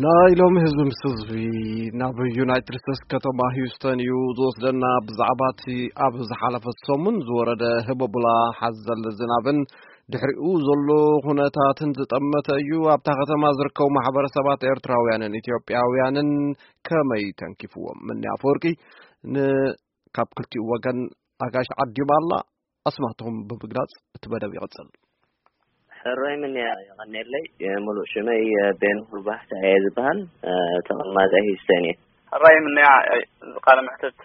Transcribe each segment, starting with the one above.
ናይ ሎሚ ህዝቢ ምስ ህዝቢ ናብ ዩናይትድ ስቴትስ ከተማ ሂውስተን እዩ ዝወስደና። ብዛዕባ እቲ ኣብ ዝሓለፈ ሰሙን ዝወረደ ህበቡላ ሓዘል ዝናብን ድሕሪኡ ዘሎ ኩነታትን ዝጠመተ እዩ። ኣብታ ከተማ ዝርከቡ ማሕበረሰባት ኤርትራውያንን ኢትዮጵያውያንን ከመይ ተንኪፍዎም? ምኒ ኣፈወርቂ ን ካብ ክልቲኡ ወገን ኣጋይሽ ዓዲማ ኣላ። ኣስማትኹም ብምግላጽ እቲ መደብ ይቕጽል። ሕራይ ምንያ፣ የቐኔለይ። የምሉእ ሽመይ ቤን ሁልባህታ እየ ዝበሃል። ተቐማጠ ሂስተን እየ። ሕራይ ምንያ፣ እዚ ቃለ መሕትት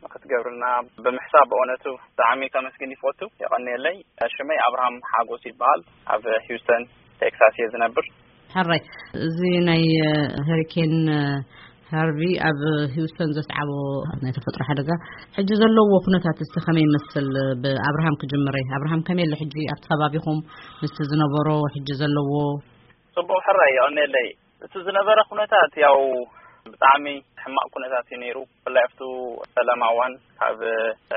ንክትገብርና ብምሕሳብ ብእውነቱ ብጣዕሚ ከመስግን ይፈቱ። የቐኔለይ። ሽመይ ኣብርሃም ሓጎስ ይበሃል። ኣብ ሂውስተን ቴክሳስ እየ ዝነብር። ሕራይ፣ እዚ ናይ ሄሪኬን ሃርቪ ኣብ ሂውስተን ዘስዓቦ ናይ ተፈጥሮ ሓደጋ ሕጂ ዘለዎ ኩነታት እስቲ ከመይ ይመስል? ብኣብርሃም ክጅምረ። ኣብርሃም፣ ከመይ ኣሎ ሕጂ ኣብቲ ከባቢኹም ምስቲ ዝነበሮ ሕጂ ዘለዎ? ጽቡቕ፣ ሕራይ፣ የቐኔለይ። እቲ ዝነበረ ኩነታት ያው ብጣዕሚ ሕማቕ ኩነታት እዩ ነይሩ። ብፍላይ ኣብቱ ሰላም ኣዋን ካብ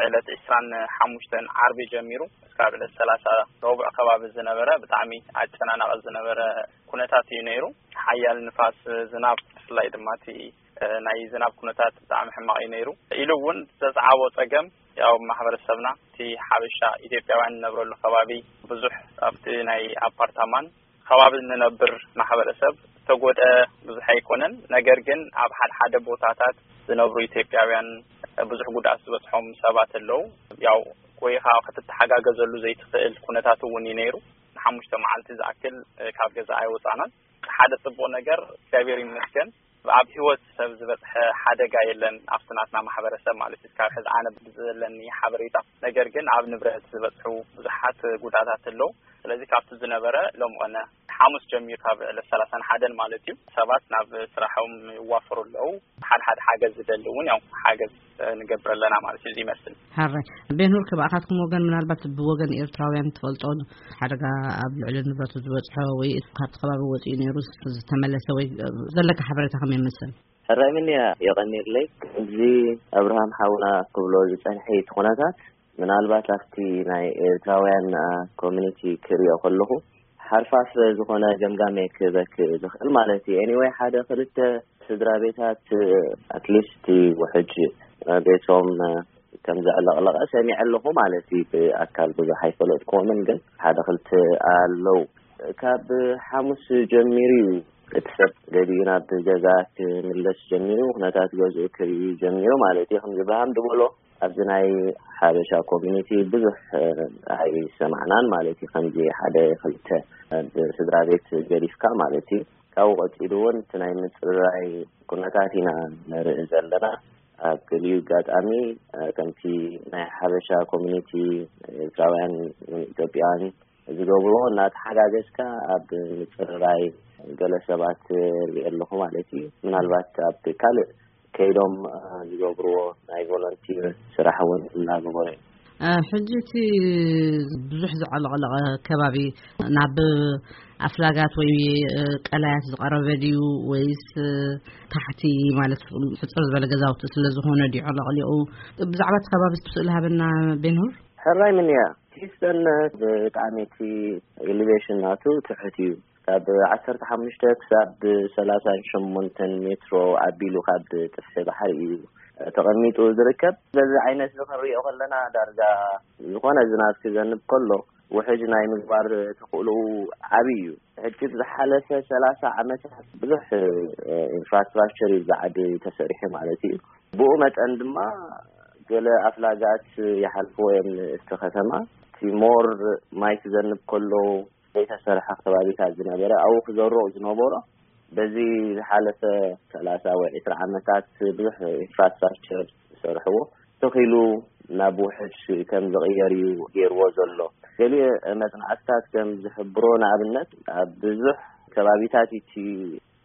ዕለት ዕስራን ሓሙሽተን ዓርቢ ጀሚሩ እስካብ ዕለት ሰላሳ ረቡዕ ከባቢ ዝነበረ ብጣዕሚ ኣጨናናቒ ዝነበረ ኩነታት እዩ ነይሩ። ሓያል ንፋስ፣ ዝናብ፣ ብፍላይ ድማ እቲ ናይ ዝናብ ኩነታት ብጣዕሚ ሕማቕ እዩ ነይሩ። ኢሉ እውን ዘስዓቦ ጸገም ያው ማሕበረሰብና እቲ ሓበሻ ኢትዮጵያውያን ንነብረሉ ከባቢ ብዙሕ ኣብቲ ናይ ኣፓርታማን ከባቢ ንነብር ማሕበረሰብ ዝተጎድአ ብዙሕ ኣይኮነን። ነገር ግን ኣብ ሓደ ሓደ ቦታታት ዝነብሩ ኢትዮጵያውያን ብዙሕ ጉድኣት ዝበፅሖም ሰባት ኣለዉ። ያው ኮይኻ ክትተሓጋገዘሉ ዘይትኽእል ኩነታት እውን እዩ ነይሩ። ንሓሙሽተ መዓልቲ ዝኣክል ካብ ገዛ ኣይወፃናን። ሓደ ፅቡቕ ነገር እግዚኣብሔር ይመስገን ኣብ ህይወት ሰብ ዝበፅሐ ሓደጋ የለን። ኣብቲ ናትና ማሕበረሰብ ማለት እዩ። ካብ ሕዚ ኣነ ብዘለኒ ሓበሬታ፣ ነገር ግን ኣብ ንብረት ዝበፅሑ ብዙሓት ጉዳታት ኣለዉ። ስለዚ ካብቲ ዝነበረ ሎም ቐነ ሓሙስ ጀሚሩ ካብ ዕለት ሰላሳን ሓደን ማለት እዩ ሰባት ናብ ስራሖም ይዋፈሩ ኣለዉ። ሓደ ሓደ ሓገዝ ዝደሊ እውን ያው ሓገዝ ንገብር ኣለና ማለት እዩ። እዚ ይመስል። ሓራይ ቤንሁር፣ ከባኣኻትኩም ወገን ምናልባት ብወገን ኤርትራውያን ትፈልጦ ሓደጋ ኣብ ልዕሊ ንብረቱ ዝበፅሖ ወይ ካብቲ ከባቢ ወፂኡ ነይሩ ዝተመለሰ ወይ ዘለካ ሓበሬታ ከመይ ይመስል? ሕራይ ምንያ፣ የቐኒርለይ። እዚ ኣብርሃም ሓውና ክብሎ ዝጸንሐ እቲ ኩነታት ምናልባት ኣብቲ ናይ ኤርትራውያን ኮሚኒቲ ክሪኦ ከለኹ ሓርፋፍ ዝኾነ ገምጋም እየ ክበክ ዝኽእል ማለት እዩ። ኤኒወይ ሓደ ክልተ ስድራ ቤታት ኣትሊስት ውሕጅ ቤቶም ከም ዘዕለቕለቐ ሰሚዐ ኣለኹ ማለት እዩ። ብኣካል ብዙሕ ኣይፈለጥኩዎምን፣ ግን ሓደ ክልተ ኣለዉ። ካብ ሓሙስ ጀሚሩ እዩ እቲ ሰብ ገሊኡ ናብ ገዛ ክምለስ ጀሚሩ፣ ኩነታት ገዝኡ ክርኢ ጀሚሩ ማለት እዩ። ከም ዝብርሃም ዝበሎ ኣብዚ ናይ ሓበሻ ኮሚኒቲ ብዙሕ ኣይሰማዕናን ማለት እዩ። ከምዚ ሓደ ክልተ ብስድራ ቤት ገዲፍካ ማለት እዩ። ካብኡ ቀጺሉ እውን እቲ ናይ ምጽርራይ ኩነታት ኢና ንርኢ ዘለና። ኣብ ገሊኡ ኣጋጣሚ ከምቲ ናይ ሓበሻ ኮሚኒቲ ኤርትራውያን ኢትዮጵያውያን ዝገብርዎ እናተሓጋገዝካ ኣብ ምጽርራይ ገለ ሰባት ርኢ ኣለኹ ማለት እዩ። ምናልባት ኣብ ካልእ ከይዶም ዝገብርዎ ናይ ቮለንቲር ስራሕ እውን እናገበሩ እዮም። ሕጂ እቲ ብዙሕ ዘዕለቕለቐ ከባቢ ናብ ኣፍላጋት ወይ ቀላያት ዝቐረበ ድዩ ወይስ ታሕቲ ማለት ሕፅር ዝበለ ገዛውቲ ስለ ዝኾነ ድዩ ዕለቕሊቑ? ብዛዕባ እቲ ከባቢ እስቲ ስእሊ ሃበና ቤንሁር። ሕራይ ምንያ፣ ሂስተን ብጣዕሚ እቲ ኤሊቬሽን ናቱ ትሑት እዩ። ካብ ዓሰርተ ሓሙሽተ ክሳብ ሰላሳን ሸሞንተን ሜትሮ ኣቢሉ ካብ ጥፍሒ ባሕሪ እዩ ተቐሚጡ ዝርከብ። በዚ ዓይነት እዚ ክንሪኦ ከለና ዳርጋ ዝኾነ ዝናብ ክዘንብ ከሎ ውሕጅ ናይ ምግባር ተኽእሎኡ ዓብዪ እዩ። ሕጂ ብዝሓለፈ ሰላሳ ዓመታት ብዙሕ ኢንፍራስትራክቸር እዩ ብዓዲ ተሰሪሑ ማለት እዩ። ብኡ መጠን ድማ ገለ ኣፍላጋት ይሓልፍዎ እዮም እቲ ከተማ። እቲ ሞር ማይ ክዘንብ ከሎ ዘይተሰርሐ ከባቢታት ዝነበረ ኣብኡ ክዘርኡ ዝነበሮ በዚ ዝሓለፈ ሰላሳ ወይ ዕስራ ዓመታት ብዙሕ ኢንፍራስትራክቸር ዝሰርሕዎ ተኺሉ ናብ ውሕጅ ከም ዝቕየር እዩ ገይርዎ ዘሎ። ገሊኡ መጽናዕትታት ከም ዝሕብሮ ንኣብነት ኣብ ብዙሕ ከባቢታት እቲ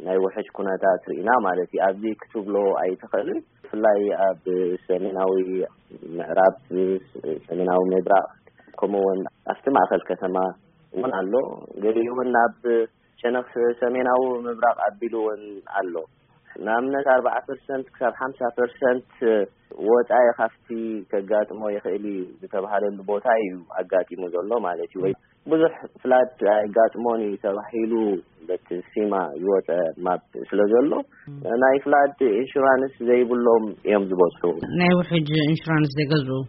ናይ ውሕጅ ኩነታት ርኢና ማለት እዩ። ኣብዚ ክትብሎ ኣይትኽእልን። ብፍላይ ኣብ ሰሜናዊ ምዕራብ፣ ሰሜናዊ ምብራቕ፣ ከምኡ እውን ኣብቲ ማእኸል ከተማ እውን ኣሎ። ገሊኡ እውን ናብ ሸነኽ ሰሜናዊ ምብራቕ ኣቢሉ እውን ኣሎ። ንኣብነት ኣርባዓ ፐርሰንት ክሳብ ሓምሳ ፐርሰንት ወጻኢ ካብቲ ከጋጥሞ ይኽእል እዩ ዝተባሃለሉ ቦታ እዩ ኣጋጢሙ ዘሎ ማለት እዩ። ወይ ብዙሕ ፍላድ ኣይጋጥሞን እዩ ተባሂሉ በቲ ፊማ ዝወጸ ማፕ ስለ ዘሎ ናይ ፍላድ ኢንሹራንስ ዘይብሎም እዮም ዝበዝሑ። ናይ ውሕጅ ኢንሹራንስ ዘይገዝኡ?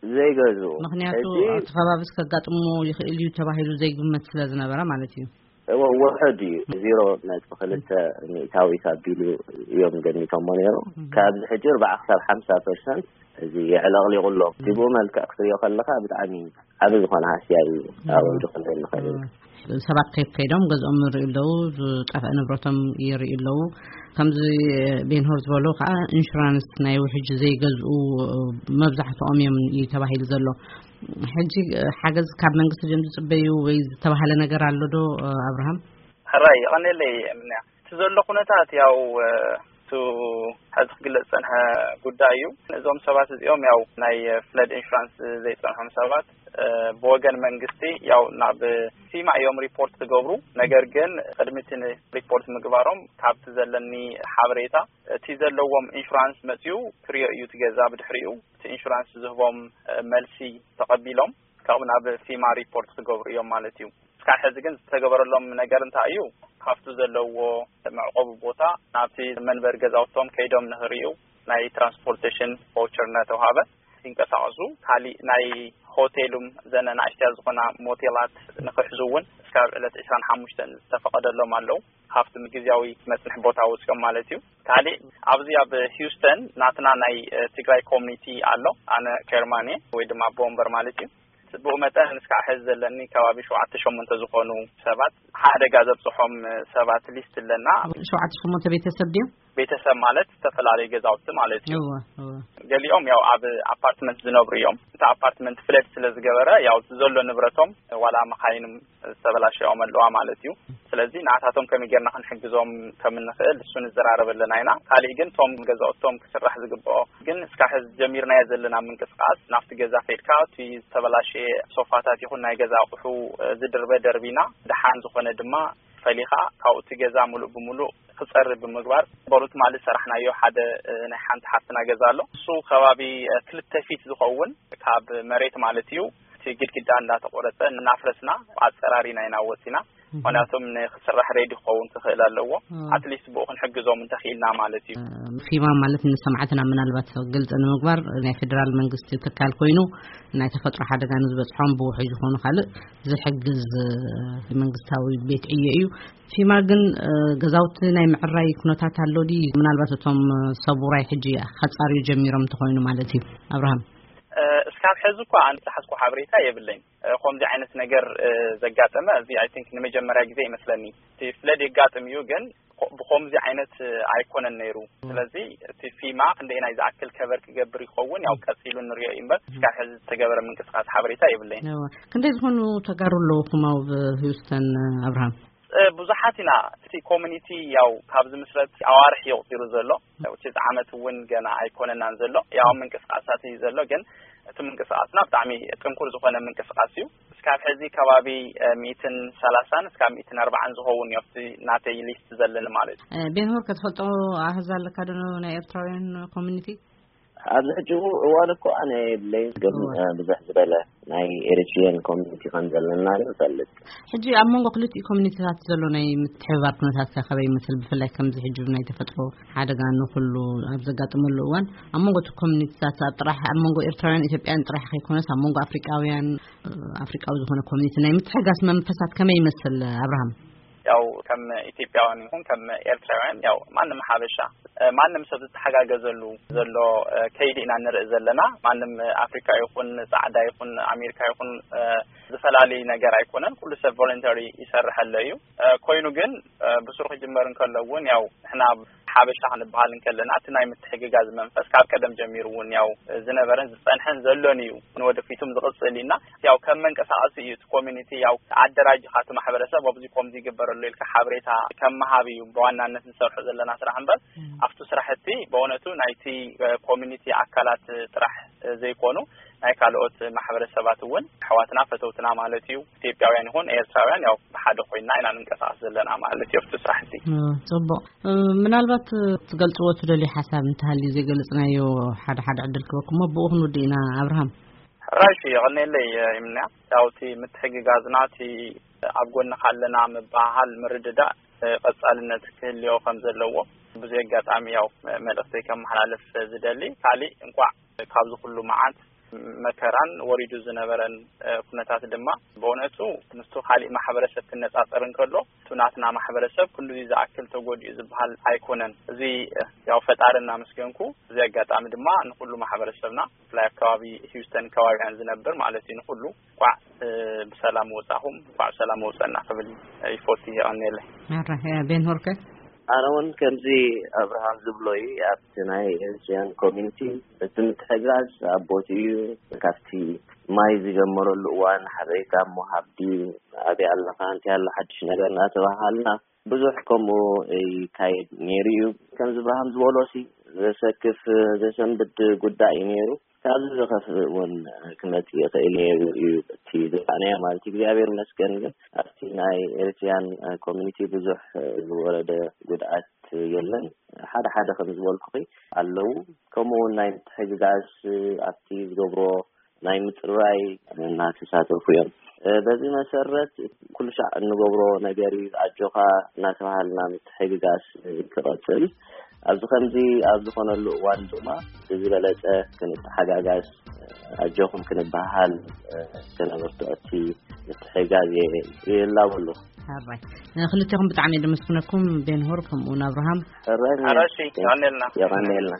ዘይገዝኡ። ምኽንያቱ እቲ ከባቢስ ከጋጥሞ ይኽእል እዩ ተባሂሉ ዘይግመት ስለ ዝነበረ ማለት እዩ። እወ፣ ውሕድ እዩ። ዜሮ ነጥቢ ክልተ ሚእታዊት ኣቢሉ እዮም ገሚቶሞ ነይሩ። ካብዚ ሕጂ ኣርባዓ ክሳብ ሓምሳ ፐርሰንት እዚ የዕለቕሊቑ ኣሎ። እቲ ብኡ መልክዕ ክትሪኦ ከለኻ ብጣዕሚ ዓቢ ዝኾነ ሃስያ እዩ። ኣብኡ ዝኽእል ንኽእል ኢና። ሰባት ከይድ ከይዶም ገዝኦም ይርእዩ ኣለዉ፣ ዝጠፍአ ንብረቶም ይርእዩ ኣለዉ። ከምዚ ቤንሆር ዝበሎ ከዓ ኢንሹራንስ ናይ ውሕጅ ዘይገዝኡ መብዛሕትኦም እዮም እዩ ተባሂሉ ዘሎ። ሕጂ ሓገዝ ካብ መንግስቲ ድዮም ዝጽበዩ ወይ ዝተባሃለ ነገር ኣሎ ዶ ኣብርሃም? ሕራይ ይቐንየለይ ምንያ። እቲ ዘሎ ኩነታት ያው እቱ ሕዚ ክግለጽ ዝጸንሐ ጉዳይ እዩ። እዞም ሰባት እዚኦም ያው ናይ ፍለድ ኢንሹራንስ ዘይጸንሖም ሰባት ብወገን መንግስቲ ያው ናብ ፊማ እዮም ሪፖርት ዝገብሩ። ነገር ግን ቅድሚ እቲ ሪፖርት ምግባሮም ካብቲ ዘለኒ ሓበሬታ እቲ ዘለዎም ኢንሹራንስ መጽዩ ክሪኦ እዩ እቲ ገዛ። ብድሕሪኡ እቲ ኢንሹራንስ ዝህቦም መልሲ ተቐቢሎም ካብኡ ናብ ፊማ ሪፖርት ክገብሩ እዮም ማለት እዩ። እስካብ ሕዚ ግን ዝተገበረሎም ነገር እንታይ እዩ? ካብቲ ዘለዎ መዕቆቢ ቦታ ናብቲ መንበሪ ገዛውቶም ከይዶም ንኽርእዩ ናይ ትራንስፖርቴሽን ቫውቸር እናተውሃበ ይንቀሳቐሱ። ካሊእ ናይ ሆቴሉም ዘነ ናእሽትያ ዝኾና ሞቴላት ንኽሕዙ እውን እስካብ ዕለት ዕስራን ሓሙሽተን ዝተፈቐደሎም ኣለዉ። ካብቲ ግዝያዊ መጽንሒ ቦታ ወፂኦም ማለት እዩ። ካሊእ ኣብዚ ኣብ ሂውስተን ናትና ናይ ትግራይ ኮሚኒቲ ኣሎ። ኣነ ኬርማን እየ ወይ ድማ ኣቦ ወንበር ማለት እዩ። ብኡ መጠን እስካብ ሕዚ ዘለኒ ከባቢ ሸውዓተ ሸሞንተ ዝኾኑ ሰባት ሓደጋ ዘብፅሖም ሰባት ሊስት ኣለና። ሸውዓተ ሸሞንተ ቤተሰብ ድዮም? ቤተሰብ ማለት ዝተፈላለዩ ገዛውቲ ማለት እዩ። ገሊኦም ያው ኣብ ኣፓርትመንት ዝነብሩ እዮም። እቲ ኣፓርትመንት ፍለድ ስለ ዝገበረ ያው ዘሎ ንብረቶም ዋላ መኻይንም ዝተበላሸኦም ኣለዋ ማለት እዩ። ስለዚ ንኣታቶም ከመይ ጌርና ክንሕግዞም ከም እንኽእል እሱ ንዘራረብ ኣለና ኢና። ካሊእ ግን እቶም ገዛውቶም ክስራሕ ዝግብኦ ግን እስካብ ሕዚ ጀሚርናዮ ዘለና ምንቅስቃስ ናብቲ ገዛ ከይድካ እቲ ዝተበላሸየ ሶፋታት ይኹን ናይ ገዛ ኣቑሑ ዝድርበ ደርቢና፣ ደሓን ዝኾነ ድማ ፈሊኻ ካብኡ እቲ ገዛ ሙሉእ ብሙሉእ ክጸሪ ብምግባር በሩ ትማሊ ዝሰራሕናዮ ሓደ ናይ ሓንቲ ሓፍትና ገዛ ኣሎ። እሱ ከባቢ ክልተ ፊት ዝኸውን ካብ መሬት ማለት እዩ እቲ ግድግዳ እንዳተቆረጸ እናፍረስና ኣጸራሪና ኢና ወጺና። ምክንያቱም ንክስራሕ ሬዲ ክኸውን ክኽእል ኣለዎ። ኣትሊስት ብኡ ክንሕግዞም እንተኽኢልና ማለት እዩ። ፊማ ማለት ንሰማዕትና ምናልባት ግልፂ ንምግባር ናይ ፌደራል መንግስቲ ትካል ኮይኑ ናይ ተፈጥሮ ሓደጋ ንዝበፅሖም ብውሕጅ ዝኾኑ ካልእ ዝሕግዝ መንግስታዊ ቤት ዕዮ እዩ። ፊማ ግን ገዛውቲ ናይ ምዕራይ ኩነታት ኣሎ ድዩ? ምናልባት እቶም ሰብ ውራይ ሕጂ ከፃርዩ ጀሚሮም እንተኾይኑ ማለት እዩ። ኣብርሃም። እስካብ ሕዚ እኳ ኣነ ዝሓዝኩ ሓበሬታ የብለይን። ከምዚ ዓይነት ነገር ዘጋጠመ እዚ ኣይ ቲንክ ንመጀመርያ ግዜ ይመስለኒ። እቲ ፍለድ የጋጥም እዩ ግን ብኮምዚ ዓይነት ኣይኮነን ነይሩ። ስለዚ እቲ ፊማ ክንደይ ናይ ዝኣክል ከቨር ክገብር ይኸውን ያው ቀፂሉ ንሪኦ እዩ እምበር እስካብ ሕዚ ዝተገበረ ምንቅስቃስ ሓበሬታ የብለይን። ክንደይ ዝኾኑ ተጋሩ ኣለውኹም ኣብ ሂውስተን ኣብርሃም? ብዙሓት ኢና። እቲ ኮሚኒቲ ያው ካብ ዝምስረት ኣዋርሕ እዩ ቁፂሩ ዘሎ። ውጭ ዓመት እውን ገና ኣይኮነናን ዘሎ። ያው ምንቅስቃሳት እዩ ዘሎ ግን እቲ ምንቅስቃስና ብጣዕሚ ጥንኩር ዝኾነ ምንቅስቃስ እዩ። እስካብ ሕዚ ከባቢ ሚእትን ሰላሳን እስካብ ሚእትን ኣርባዓን ዝኸውን እዩ ኣብቲ ናተይ ሊስት ዘለኒ ማለት እዩ። ቤንሆር፣ ከተፈልጦ ኣህዛ ኣለካ ዶ ናይ ኤርትራውያን ኮሚኒቲ? ኣብዚ ሕጂ እዋን እኮ ኣነ የብለይን ግን ብዙሕ ዝበለ ናይ ኤሪትሪያን ኮሚኒቲ ከም ዘለና ንፈልጥ። ሕጂ ኣብ መንጎ ክልቲኡ ኮሚኒቲታት ዘሎ ናይ ምትሕብባር ኩነታት ከ ከመይ ይመስል? ብፍላይ ከምዚ ሕጂ ናይ ተፈጥሮ ሓደጋ ንኩሉ ኣብ ዘጋጥመሉ እዋን ኣብ መንጎ እቲ ኮሚኒቲታት ኣብ ጥራሕ ኣብ መንጎ ኤርትራውያን ኢትዮጵያን ጥራሕ ከይኮነስ ኣብ መንጎ ኣፍሪቃውያን ኣፍሪቃዊ ዝኾነ ኮሚኒቲ ናይ ምትሕጋስ መንፈሳት ከመይ ይመስል ኣብርሃም? ያው ከም ኢትዮጵያውያን ይኹን ከም ኤርትራውያን ያው ማንም ሓበሻ ማንም ሰብ ዝተሓጋገዘሉ ዘሎ ከይዲ ኢና ንርኢ ዘለና። ማንም ኣፍሪካ ይኹን ፃዕዳ ይኹን ኣሜሪካ ይኹን ዝፈላለዩ ነገር ኣይኮነን። ኩሉ ሰብ ቮለንተሪ ይሰርሐለ እዩ። ኮይኑ ግን ብስሩ ክጅመር እንከሎ እውን ያው ንሕና ሓበሻ ክንበሃል እንከለና እቲ ናይ ምትሕግጋዝ መንፈስ ካብ ቀደም ጀሚሩ እውን ያው ዝነበረን ዝፀንሐን ዘሎን እዩ። ንወደፊቱም ዝቕፅል ኢና። ያው ከም መንቀሳቐሲ እዩ እቲ ኮሚኒቲ ያው ኣደራጅኻ እቲ ማሕበረሰብ ኣብዚ ኮምዚ ይግበረሉ ኢልካ ሓበሬታ ከም ምሃብ እዩ ብዋናነት ንሰርሖ ዘለና ስራሕ እምበር፣ ኣብቲ ስራሕ እቲ ብእውነቱ ናይቲ ኮሚኒቲ ኣካላት ጥራሕ ዘይኮኑ ናይ ካልኦት ማሕበረሰባት እውን ኣሕዋትና ፈተውትና ማለት እዩ። ኢትዮጵያውያን ይኹን ኤርትራውያን ያው ብሓደ ኮይና ኢና ንንቀሳቀስ ዘለና ማለት እዩ ኣብቲ ስራሕ እቲ። ጽቡቅ። ምናልባት ትገልጽዎ ትደልዩ ሓሳብ እንተሃልዩ ዘይገለጽናዮ ሓደ ሓደ ዕድል ክበኩም እሞ ብኡ ክንውድእ ኢና። ኣብርሃም። ሕራይ እዩ፣ የቐንየለይ። ይምንያ ያው እቲ ምትሕግጋዝና እቲ ኣብ ጎንኻ ኣለና ምባሃል ምርድዳእ ቀጻልነት ክህልዮ ከም ዘለዎ ብዙ ኣጋጣሚ ያው መልእኽተይ ከመሓላልፍ ዝደሊ። ካሊእ እንኳዕ ካብዚ ኩሉ መዓት መከራን ወሪዱ ዝነበረን ኩነታት ድማ ብእውነቱ ምስቱ ካሊእ ማሕበረሰብ ክነጻጸር እንከሎ እቲ ናትና ማሕበረሰብ ክንዱዚ ዝኣክል ተጎዲኡ ዝበሃል ኣይኮነን። እዚ ያው ፈጣሪ እናመስገንኩ፣ እዚ ኣጋጣሚ ድማ ንኩሉ ማሕበረሰብና ብፍላይ ኣብ ከባቢ ሂውስተን ከባቢያን ዝነብር ማለት እዩ ንኩሉ እንኳዕ ብሰላም ወጻኹም፣ እንኳዕ ብሰላም ወጸና ክብል ይፎቲ። የቐንየለይ። ኣረ ቤን ሆርከ። ኣነ እውን ከምዚ ኣብርሃም ዝብሎ እዩ። ኣብቲ ናይ ኤርትሪያን ኮሚኒቲ እቲ ምትሕግጋዝ ኣብ ቦትኡ እዩ። ካብቲ ማይ ዝጀመረሉ እዋን ሓበሬታ እሞ ሃብዲ ኣበይ ኣለኻ፣ እንታይ ኣሎ ሓድሽ ነገር እናተባሃልና ብዙሕ ከምኡ ይካየድ ነይሩ እዩ። ከምዚ ኣብርሃም ዝበሎ ሲ ዘሰክፍ ዘሰንብድ ጉዳይ እዩ ነይሩ። ካብዚ ዝኸፍእ እውን ክመጽእ ይኽእል ነይሩ እዩ እቲ ዝረኣናዮ ማለት እዩ። እግዚኣብሔር ይመስገን ግን ኣብቲ ናይ ኤርትሪያን ኮሚኒቲ ብዙሕ ዝወረደ ጉድኣት የለን። ሓደ ሓደ ከም ዝበልኩኺ ኣለዉ። ከምኡ እውን ናይ ምትሕግጋዝ ኣብቲ ዝገብሮ ናይ ምጽርራይ እናተሳተፉ እዮም። በዚ መሰረት ኩሉ ሻዕ እንገብሮ ነገር እዩ። ኣጆኻ እናተባሃልና ምትሕግጋዝ ክቐጽል ኣብዚ ከምዚ ኣብ ዝኾነሉ እዋን ድማ ብዝበለጸ ክንተሓጋጋዝ ኣጆኹም ክንበሃል ከነብርትዖ እቲ ምትሕግጋዝ ይላበሉ። ሓራይ ክልቴኹም ብጣዕሚ ደመስግነኩም ቤንሆር ከምኡ እውን ኣብርሃም። ሕራይ ሕራይ እሺ፣ የቐንየልና። የቐንየልና።